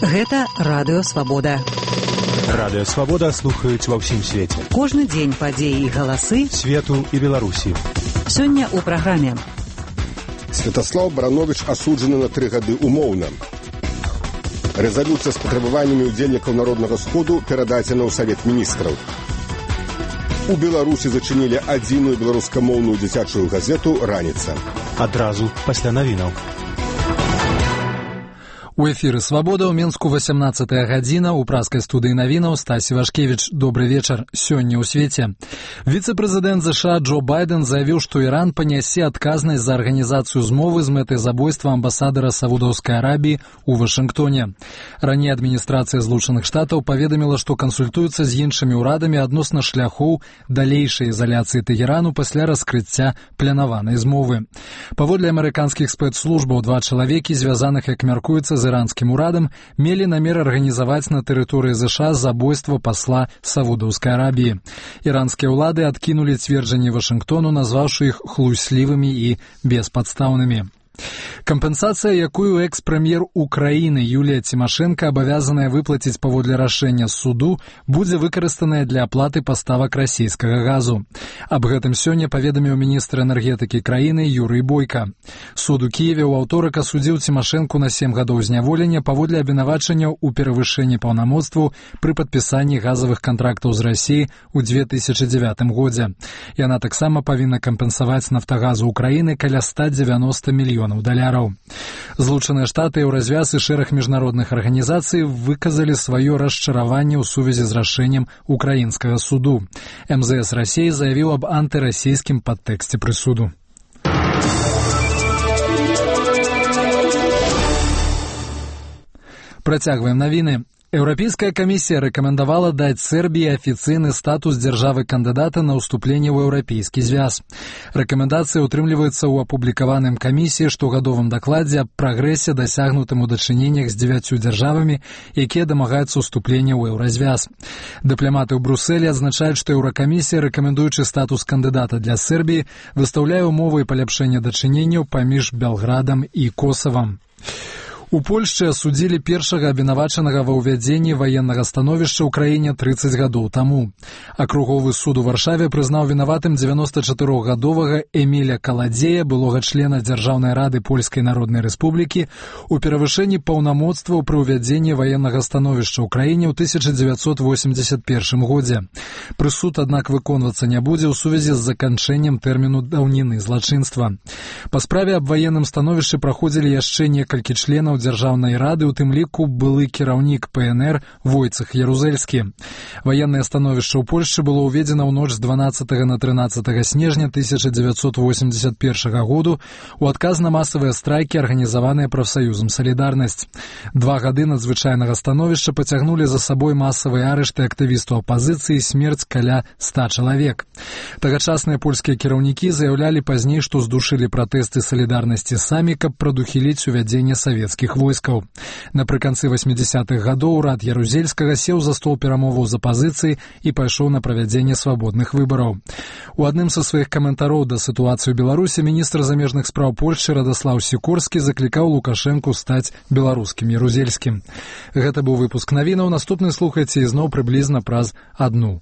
Гэта Радыё Свабода. Радыё Свабода слухаюць ва ўсім свеце. Кожны дзень падзеі і галасы свету і Беларусі. Сёння ў праграме. Святаслаў Барановіч асуджаны на 3 гады умоўна. Рэзалюцыя з патрабаваннямі ўдзельнікаў Народнага сходу перададзена ў Савет міністраў. У Беларусі зачынілі адзіную беларускамоўную дзіцячую газету «Раніца». Адразу пасля навінаў. У эфіры «Свабода» ў Мінску 18-я гадзіна. У праскай студыі навінаў Стасі Вашкевіч. Добры вечар. Сёння ў свеце. Віцэ-прэзідэнт США Джо Байден заявіў, што Іран панясе адказнасць за арганізацыю змовы з мэтай забойства амбасадара Саудаўскай Арабіі ў Вашынгтоне. Раней адміністрацыя Злучаных Штатаў паведаміла, што кансультуецца з іншымі ўрадамі адносна шляхоў далейшай ізаляцыі Тэгерану пасля раскрыцця планаванай змовы. Паводле амерыканскіх спецслужбаў, 2 чалавекі, звязаных, як мяркуецца, з іранскім урадам, мелі намер арганізаваць на тэрыторыі ЗША забойства пасла Саудаўскай Арабіі. Іранскія ўлады адкінулі цверджанні Вашынгтону, назваўшы іх хлуслівымі і беспадстаўнымі. Кампенсацыя, якую экс-прэм'ер Украіны Юлія Цімашэнка абавязаная выплаціць паводле рашэння суду, будзе выкарыстаная для аплаты паставак расійскага газу. Аб гэтым сёння паведаміў міністр энергетыкі краіны Юрый Бойка. Суд у Кіеве ў аўторак асудзіў Цімашэнку на 7 гадоў зняволення паводле абвінавачанняў у перавышэнні паўнамоцтваў пры падпісанні газавых кантрактаў з Расіі ў 2009 годзе. Яна таксама павінна кампенсаваць «Нафтагазу» Украіны каля 190 мільёнаў даляраў. Злучаныя Штаты, Еўразвяз і шэраг міжнародных арганізацый выказалі сваё расчараванне ў сувязі з рашэннем украінскага суду. МЗС Расіі заявіў аб антырасійскім падтэксце прысуду. Працягваем навіны. Еўрапейская камісія рэкамендавала даць Сербіі афіцыйны статус дзяржавы-кандыдата на ўступленне ў Еўрапейскі звяз. Рэкамендацыя ўтрымліваецца ў апублікаваным камісіі штогадовым дакладзе аб прагрэсе, дасягнутым у дачыненнях з 9 дзяржавамі, якія дамагаюцца ўступлення ў Еўразвяз. Дыпламаты ў Брусэлі адзначаюць, што Еўракамісія, рэкамендуючы статус кандыдата для Сербіі, выстаўляе ўмовы і паляпшэння дачыненняў паміж Белградам і Косавам. У Польшчы асудзілі першага абвінавачанага ва ўвядзенні ваеннага становішча ў краіне 30 гадоў таму. Акруговы суд у Варшаве прызнаў вінаватым 94-гадовага Эміля Каладзея, былога члена Дзяржаўнай рады Польскай Народнай Рэспублікі, у перавышэнні паўнамоцтваў пры ўвядзенні ваеннага становішча ў краіне ў 1981 годзе. Прысуд, аднак, выконвацца не будзе ў сувязі з заканчэннем тэрміну даўніны злачынства. Па справе аб ваенным становішчы праходзілі яшчэ некалькі членаў Дзяржаўнай рады, у тым ліку былы кіраўнік ПНР Войцэх Ярузельскі. Ваеннае становішча ў Польшчы было ўведзена ў ноч з 12 на 13 снежня 1981 году у адказ на масавыя страйкі, арганізаваныя прафсаюзам «Салідарнасць». 2 гады надзвычайнага становішча пацягнулі за сабой масавыя арышты актывістаў апазіцыі і смерць каля 100 чалавек. Тагачасныя польскія кіраўнікі заяўлялі пазней, што здушылі пратэсты «Салідарнасці» самі, каб прадухіліць увядзенне савецкіх войскаў. Напрыканцы 80-х гадоў урад Ярузельскага сеў за стол перамоваў з апазіцыяй і пайшоў на правядзенне свабодных выбараў. У адным са сваіх каментароў да сітуацыі ў Беларусі міністр замежных спраў Польшчы Радаслаў Сікорскі заклікаў Лукашэнку стаць беларускім Ярузельскім. Гэта быў выпуск навінаў. Наступны слухайце ізноў прыблізна праз 1 гадзіну.